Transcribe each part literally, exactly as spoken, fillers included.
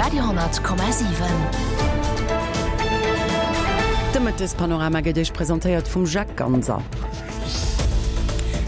Radio honnert Komma siwen. De Mëttespanorama gëtt Iech presentéiert vum Jacques Ganser.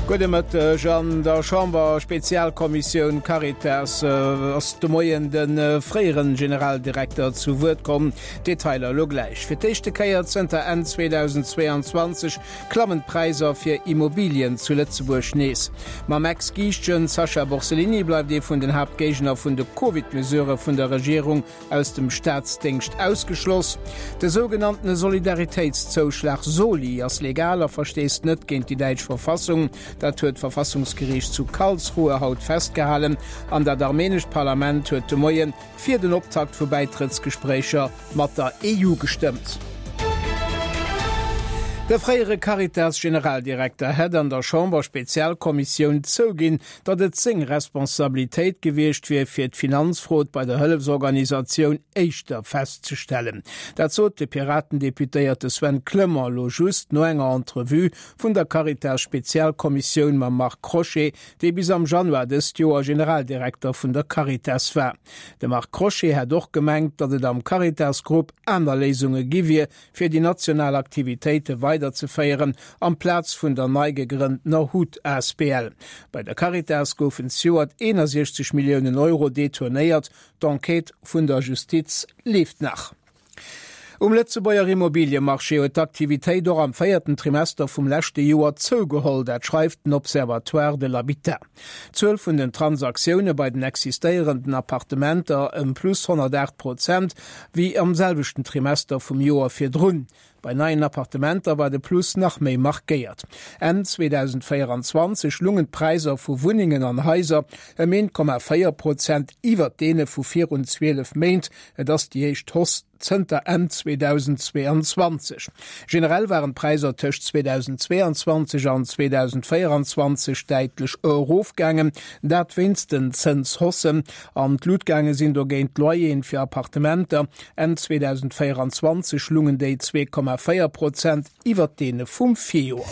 Gudde Mëtteg. An der Chamber-Spezialkommissioun Caritas ass de Moien de fréieren Generaldirekter zu Wuert komm. Detailer elo gläich. Fir d'éischte Kéier zënter Enn zweedausendzweeanzwanzeg klammen d'Präisser fir Immobilien zu Lëtzebuerg nees. Mam Ex-Giischtjen Sacha Borsellini bleift ee vun den Haaptgéigner vun de Covid-Mesurë vun der Regierung aus dem Staatsdéngscht ausgeschloss. De sougenanntene Solidaritéitszouschlag Soli ass legal a verstéisst net géint déi däitsch Verfassung. Dat huet d'Verfassungsgeriicht zu Karlsruhe haut festgehalen. An dat armenescht Parlament huet de Moie fir den Optakt vu Bäitrëttsgespréicher mat der E U gestëmmt. De fréiere Caritas-Generaldirekter hätt an der Chamber-Spezialkommissioun zouginn, datt et seng Responsabilitéit gewiescht wier, fir d'Finanzfrod bei der Hëllefsorganisatioun éischter festzestellen. Dat sot de Piraten-Deputéierte Sven Clement elo just no enger Entrevue vun der Caritas-Spezialkommissioun mam Marc Crochet, dee bis am Januar dëst Joer Generaldirekter vun der Caritas war. De Marc Crochet hätt och gemengt, datt et am Caritas-Grupp aner Léisunge gi wier, fir déi national Aktivitéite weiderzeféieren, amplaz vun der nei gegrënntener Hut asbl. Bei der Caritas goufen zejoert eenasiechzeg Milliounen Euro detournéiert. D'Enquête vun der Justiz leeft nach. Um Lëtzebuerger Immobiliemarché huet d'Aktivitéit och am véierten Trimester vum leschte Joer zougeholl, dat schreift den Observatoire de l'habitat. D'Zuel vun den Transaktioune bei den existéierenden Appartementer ëm plus honnertaacht Prozent wéi am selwechten Trimester vum Joer virdrun. Bei neien Appartementer war de Plus nach méi markéiert. Enn zweedausendvéieranzwanzeg lungen d'Präisser vu Wunnengen an Haiser ëm eent Komma véier Prozent iwwert deene vu virun zwielef Méint. Et ass déi éischt Hausse zënter Enn zweedausendzweeanzwanzeg. Generell waren d'Präisser tëscht zweedausendzweeanzwanzeg an zweedausendvéieranzwanzeg däitlech erofgaangen, dat wéinst den Zënshaussen. An d'Lut gaange sinn dogéint d'Loyeren fir Appartementer. Enn zweedausendvéieranzwanzeg lungen déi zwee Komma véier Prozent iwwert deene vum Virjoer.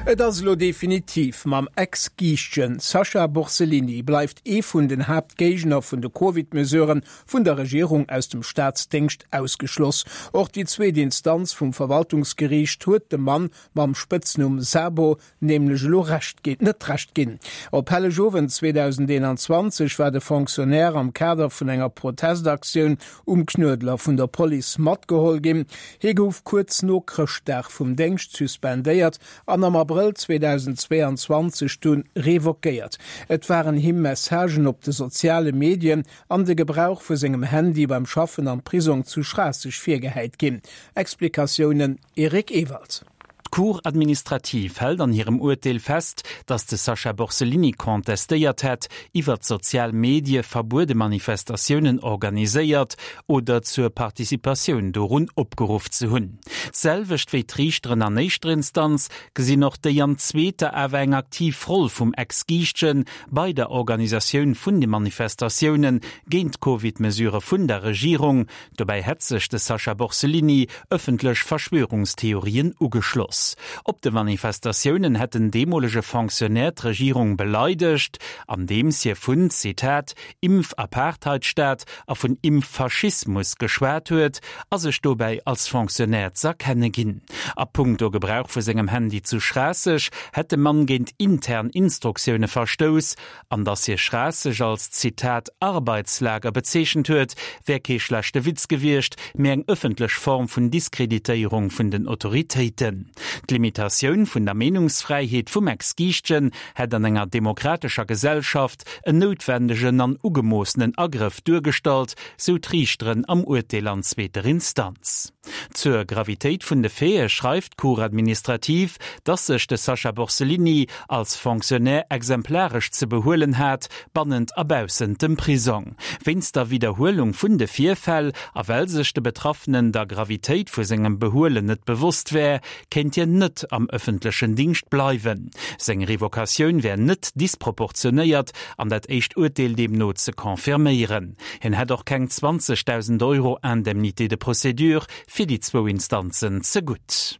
Et ass elo definitiv, Mam Ex-Giischtjen Sacha Borsellini bleift ee vun den Haaptgéigner vun de Covid-Mesuren vun der Regierung aus dem Staatsdéngscht ausgeschloss. Och déi zweet Instanz vum Verwaltungsgeriicht huet dem Mann mam Spëtznumm Sabo nämlech elo Recht ginn, net Recht ginn. Op Hellegowend zweedausendeenanzwanzeg war de Fonctionnaire am Kader vun enger Protestaktioun um Knuedler vun der Police matgeholl ginn. Hie gouf kuerz no Chrëschtdag vum Déngscht suspendéiert an am Abrëll zweedausendzweeanzwanzeg dunn revoquéiert. Et waren him Messagen op de soziale Medien an de Gebrauch vu sengem Handy beim Schaffen am Prisong zu Schraasseg virgehäit ginn. Explikatiounen Eric Ewald. D'Cour administrative hält an hirem Urteel fest, datt de Sacha Borsellini contestéiert hätt, iwwer d'sozial Medie verbuede Manifestatiounen organiséiert oder zur Participatioun dorun opgeruff ze hunn. D'selwecht wéi d'Riichteren an éischter Instanz gesinn och déi an zweeter awer eng aktiv Roll vum Ex-Giischtjen bei der Organisatioun vun de Manifestatioune géint d'Covid-Mesurë vun der Regierung. Dobäi hätt sech de Sacha Borsellini ëffentlech Verschwörungstheorien ugeschloss. Op de Manifestatiounen hätt den deemolege Fonctionnaire d'Regierung beleidegt, andeems hie vun, Zitat, Impf-Apartheidstaat a vun Impffaschismus geschwat huet a sech dobäi als Fonctionnaire z'erkenne ginn. A punkto Gebrauch vu sengem Handy zu Schraasseg hätt de Mann géint intern Instruktioune verstouss. An datt hie Schraasseg als, Zitat, Arbeitslager bezeechent huet, wär kee schlechte Witz gewiescht, mee eng ëffentlech Form vun Diskreditéierung vun den Autoritéiten. D'Limitatioun vun der Meenungsfräiheet vum Ex-Giischtjen hätt an enger demokratescher Gesellschaft en noutwendegen an ugemoossenen Agrëff duergestallt, sou d'Riichteren am Urteel an zweeter Instanz. Zur Gravitéit vun de Faite schreift d'Cour administrative, dass sech de Sacha Borsellini als Fonctionnaire exemplaresch ze behuelen hat, bannent a baussent dem Prisong. Wéinst der Widderhuelung vun de Virfäll a well sech de Betraffenen der Gravitéit vu sengem Behuelen net bewosst wär, kéint hien net am ëffentlechen Dingscht bleiwen. Seng Revocatioun wär net disproportionéiert an dat éischt Urteel deemno ze confirméieren. Hien hätt och keng zwanzegdausend Euro Indemnité de procédure fir déi zwou Instanzen zegutt.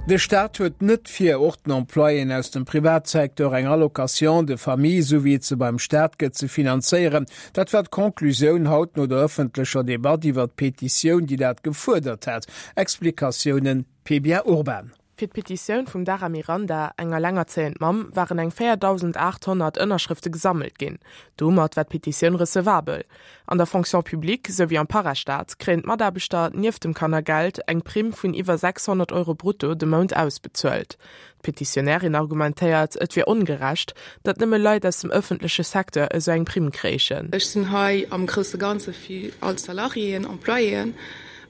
De Staat huet net vir, och den Employéen aus dem Privatsecteur eng Allocation de famille, sou wéi et se beim Staat gëtt, ze finanzéieren. Dat war d'Conclusioun haut no der ëffentlecher Debatt iwwer d'Petitioun, déi dat gefuerdert hat. Explikatiounen, Pia Urban. Fir d'Petitioun vum Dara Miranda, eng elengerzéiend Mamm, waren eng véierdausendaathonnert Ënnerschrëfte gesammelt ginn. Domat war d'Petitioun recevabel. An der Fonction publique souwéi am Parastaat kréien d'Mataarbechter nieft dem Kannergeld eng Primm vun iwwer sechshonnert Euro brutto de Mount ausbezuelt. D'Petitionärin argumentéiert, et wier ongerecht, datt nëmme Leit aus dem ëffentleche Secteur esou eng Primm kréichen. Ech sinn hei am grousse Ganze fir all d'Salariéen, Employéen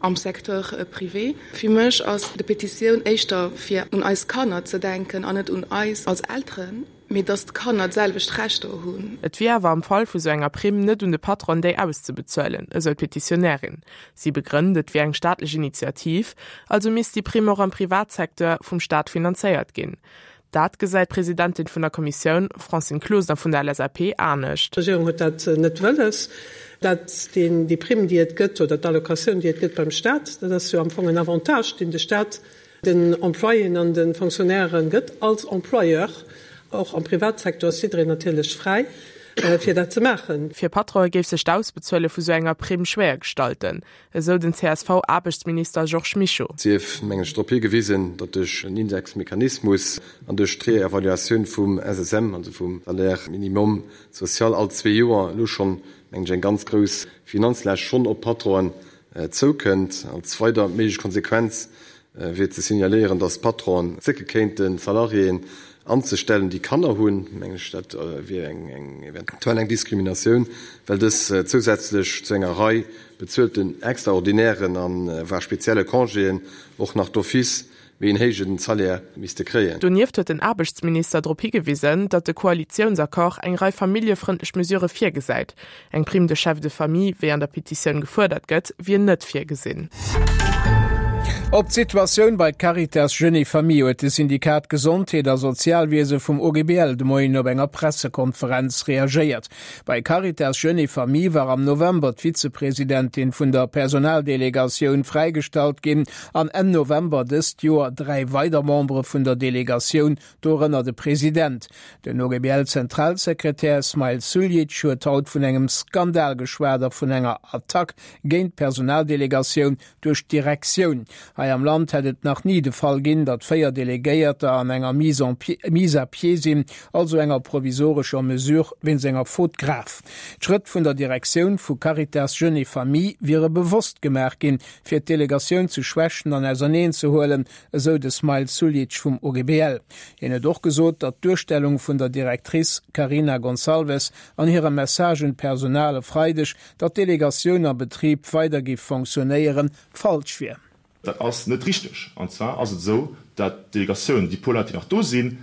am Secteur privé. Fir mech ass de Petitioun éischter fir un eis Kanner ze denken an net un eis als Elteren, mee dass d'Kanner d'selwecht Rechter hunn. Et wier awer am Fall vu sou enger Primm net un de Patron déi auszebezuelen, esou d'Petitionärin. Si begrënnt, et wier eng staatlech Initiativ, also misst déi Primm och am Privatsecteur vum Staat finanzéiert ginn. Dat gesäit d'Presidentin vun der Kommissioun, Francine Closener vun der L S A P, anescht. D'Regierung huet dat net wëlles, dat deen, déi Primm, déi et gëtt, oder d'Allocatioun, déi et gëtt beim Staat, dat ass jo am Fong en Avantage, deen de Staat den Employéen an de Fonctionnairen gëtt als Employeur. Och am Privatsecteur ass jiddereen natierlech fräi, fir dat ze maachen. Fir Patronen géif sech d'Ausbezuele vu sou enger Primm schwéier gestalten, esou den C S V-Aarbechtsminister Georges Mischo. Sief, mengen ech, drop higewisen, datt duerch en Indexmechanismus an duerch d'Reevaluatioun vum S S M, also vum Salaire minimum social, all zwee Joer elo schonn, mengen ech, eng ganz grouss Finanzlaascht schonn op d'Patronen zoukënnt. Als weider méiglech Konsequenz wier ze signaléieren, datt d'Patronen zécke kéinten, Salariéen anzestellen, déi Kanner hunn. Mengen ech, dat wier eng eventuell eng Diskriminatioun, well dës zousätzlech zu enger Rei bezuelten extraordinären a voire spezielle Congéen och nach d'office méi en héijen Salaire misste kréien. Donieft huet den Aarbechtsminister drop higewisen, datt de Koalitiounsaccord eng Rei familljefrëndlech Mesurë virgesäit. Eng Prime de chef de famille, wéi an der Petitioun gefuerdert gëtt, wier net virgesinn. Op d'Situatioun bei Caritas Jeunes et Familles huet de Syndikat Gesondheet a Sozialwiese vum O G B L de Moien op enger Pressekonferenz reagéiert. Bei Caritas Jeunes et Familles war am November d'Vizepresidentin vun der Personaldelegatioun fräigestallt ginn an Enn November dëst Joer dräi weider Membere vun der Delegatioun, dorënner de President. Den O G B L-Zentralsekretär Smail Suljic huet haut vun engem Skandal geschwat a vun enger Attack géint d'Personaldelegatioun duerch d'Direktioun. Hei am Land hätt et nach ni de Fall ginn, datt véier Delegéierter an enger Mise en mise à pied sinn, also enger provisorescher Mesure wéinst enger Faute grave. D'Schrëtt vun der Direktioun vu Caritas Jeunes et Familles wiere bewosst gemaach ginn, fir d'Delegatioun ze schwächen an auserneen ze huelen, esou de Smail Suljic vum O G B L. Hien huet och gesot, datt d'Duerstellung vun der Directrice Carina Gonçalves an hirem Message un d'Personal e Freideg, datt d'Delegatioun am Betrib weider géif fonctionnéieren, falsch wier. Dat ass net richteg. An zwar ass et esou, dat d'Delegatioun, déi puer Leit, déi nach do sinn,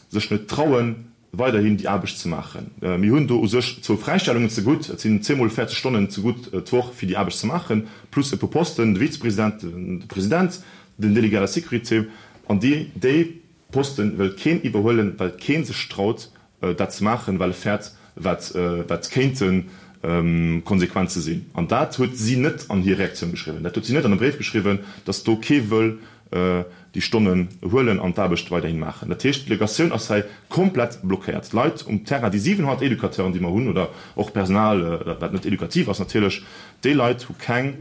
sech net trauen, weiderhin déi Aarbecht ze maachen. Mir hunn do u sech zwou Fräistellungen zegutt, et sinn zweemol véierzeg Stonnen zegutt d'Woch, fir déi Aarbecht ze maachen, plus e puer Posten, de Vizepresident, de President, den Délégué à la sécurité. An déi, déi Poste wëllt keen iwwerhuelen, well kee sech traut, dat ze maachen, well e fäert, wat, wat kéinten Konsequenze sinn. An dat huet si net an hir Reaktioun geschriwwen, dat huet si net an e Bréif geschriwwen, datt do kee wëll déi Stonnen huelen an d'Aarbecht weiderhi maachen. Dat heescht, d'Delegatioun ass hei komplett blockéiert. D'Leit um Terrain, déi siwenhonnert Educateuren, déi mer hunn, oder och Personal, wat net edukativ ass natierlech, déi Leit hu keng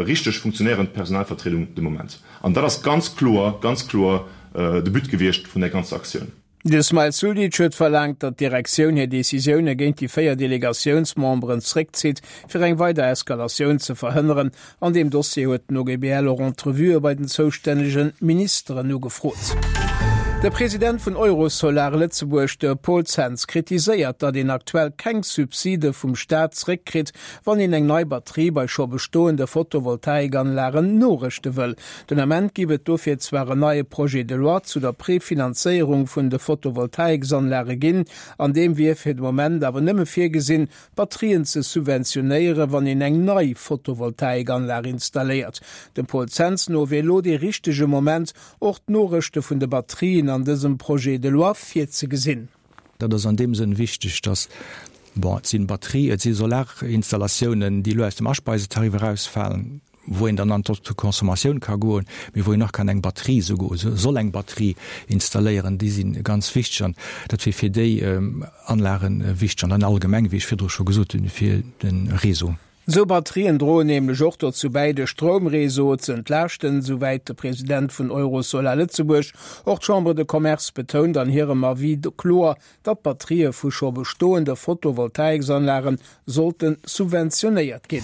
richteg funktionéierend Personalvertriedung de Moment. An dat ass ganz kloer, ganz kloer de But gewiescht vun där ganzer Aktioun. De Smail Suljic huet verlaangt, datt d'Direktioun hir Decisioune géint déi véier Delegatiounsmemberen zréckzitt, fir eng weider Eskalatioun ze verhënneren. An deem Dossier huet den O G B L och Entrevuë bei den zoustännege Ministeren ugefrot. De President vun Eurosolar Lëtzebuerg, de Paul Zens, kritiséiert, datt een aktuell keng Subside vum Staat zréckkritt, wann een eng nei Batterie bei scho bestoende Photovoltaikanlagen norëschte wëll. Den Ament géif et dofir zwar en neie Projet de loi zu der Prefinanzéierung vun de Photovoltaiksanlage ginn, an deem wier fir de Moment awer nëmme virgesinn, Batterien ze subventionéieren, wann een eng nei Photovoltaikanlag installéiert. Dem Paul Zens no wier elo dee richtege Moment, och d'Norëschte vun de Batterien an dësem Projet de loi virzegesinn. Dat ass an deem Sënn wichteg, dass, bon, et sinn Batterie, et si Solarinstallatioune, déi lo aus dem Aspeisetarif erausfalen. wou een dann an d'Autoconsommatioun ka goen, mee wou een och kann eng Batterie souguer, soll eng Batterie installéieren, déi si ganz wichteg an dat wier fir déi Anlagen wichteg an dann allgemeng, wéi ech virdru scho gesot hunn, fir de Réseau. Esou Batterien droen nämlech och dozou bäi, de Stroumréseau ze entlaaschten, souwäit de President vun Eurosolar Lëtzebuerg. Och d'Chambre de Commerce betount an hirem Avis kloer, datt d'Batterië vu scho bestoende Photovoltaiksanlage sollte subventionéiert ginn.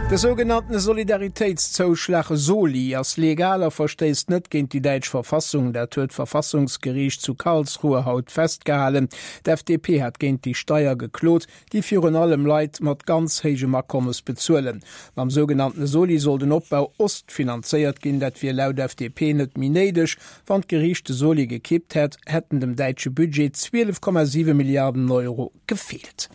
De sougenannte Solidaritéitszouschlag, Soli, ass legal a verstéisst net géint déi däitsch Verfassung. Dat huet d'Verfassungsgeriicht zu Karlsruhe haut festgehalen. D'F D P hat géint déi Steier geklot, déi virun allem Leit mat ganz héijem Akommes bezuelen. Mam sougenannte Soli soll den Opbau Ost finanzéiert ginn. Dat wier laut F D P net méi néideg. Wann d'Geriicht de Soli gekippt hätt, hätten dem däitsche Budget zwielef Komma siwe Milliarden Euro gefeelt.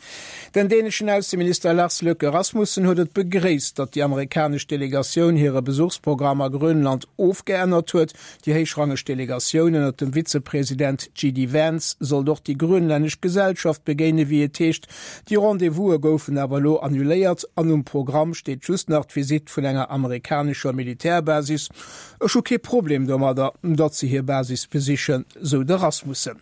Den däneschen Ausseminister Lars Løkke Rasmussen huet et begréisst, datt déi amerikanesch Delegatioun hire Besuchsprogramm a Grönland ofgeännert huet. Déi héichrangeg Delegatioun ënnert dem Vizepresident J D Vance sollt och déi grönlännesch Gesellschaft begéine wéi et heescht. Déi Rendez-vouse goufen awer elo annuléiert an um Programm steet just nach d'Visitt vun enger amerikanescher Militärbasis. Ech hu kee Problem domadder, datt se hir Basis besichen, sou de Rasmussen.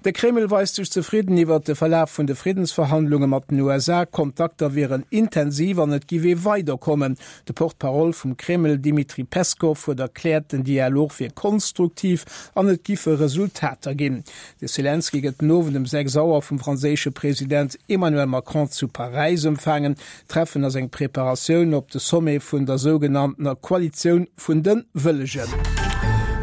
De Kreml weist sech zefridden iwwer de Verlaf vun de Friddensverhandlunge mat den U S A. Kontakter wieren intensiv an et géif ee weiderkommen. De Porte-parole vum Kreml Dmitri Peskov huet erkläert, den Dialog wier konstruktiv an et giffe Resultater ginn. De Selenskyj gëtt den Owend um sechs Auer vum franséische President Emmanuel Macron zu Paräis empfaangen. D'Treffen ass eng Preparatioun op de Sommet vun der sougenanntener Koalitioun vun de Wëllegen.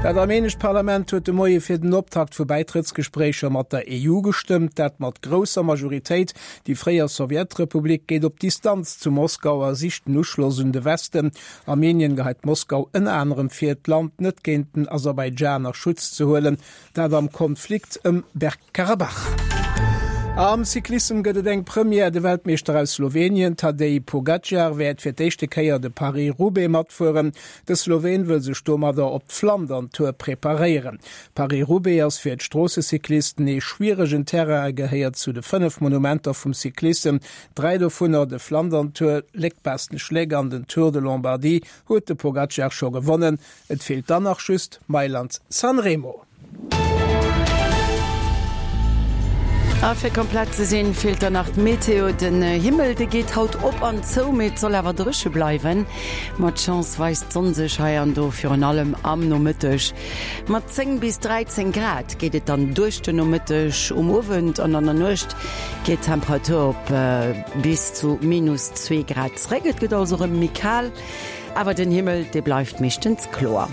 Dat armenescht Parlament huet de Moie fir den Optakt vu Bäitrëttsgespréicher mat der E U gestëmmt, dat mat grousser Majoritéit. Déi fréier Sowjetrepublik geet op Distanz zu Moskau a sicht den Uschloss un de Westen. Armenien geheit Moskau ënner anerem vir, d'Land net géint den Aserbaidschan a Schutz ze huelen, dat am Konflikt ëm Bergkarabach. Am Cyclissem gëtt et eng Première, de Weltmeeschter aus Slowenien Tadej Pogacar wäert fir d'éischte Kéier de Paris-Roubaix matfueren. De Sloween wëll sech domadder op d'Flandern-Tour preparéieren. Paris-Roubaix ass fir d'Stroossecyclisten ee schwieregen Terrain a gehéiert zu de fënnef Monumenter vum Cyclissem. Dräi dovunner, de Flandern-Tour, Léck-Bastogne-Léck an den Tour de Lombardie, huet de Pogacar scho gewonnen. Et feelt dann nach just Mailand-San Remo. A fir komplett ze sinn, feelt dann nach d'Meteo. Den Himmel de geet haut op an zou, mee et soll awer dréche bleiwen. Mat Chance weist d'Sonn sech hei an do, virun allem am Nomëtteg. Mat zéng bis dräizéng Grad geet et dann duerch den Nomëtteg. Um Owend an an der Nuecht geet d'Temperatur op bis zu minus zwee Grad zréck. Et gëtt also erëm méi kal, awer den Himmel dee bleift meeschtens kloer.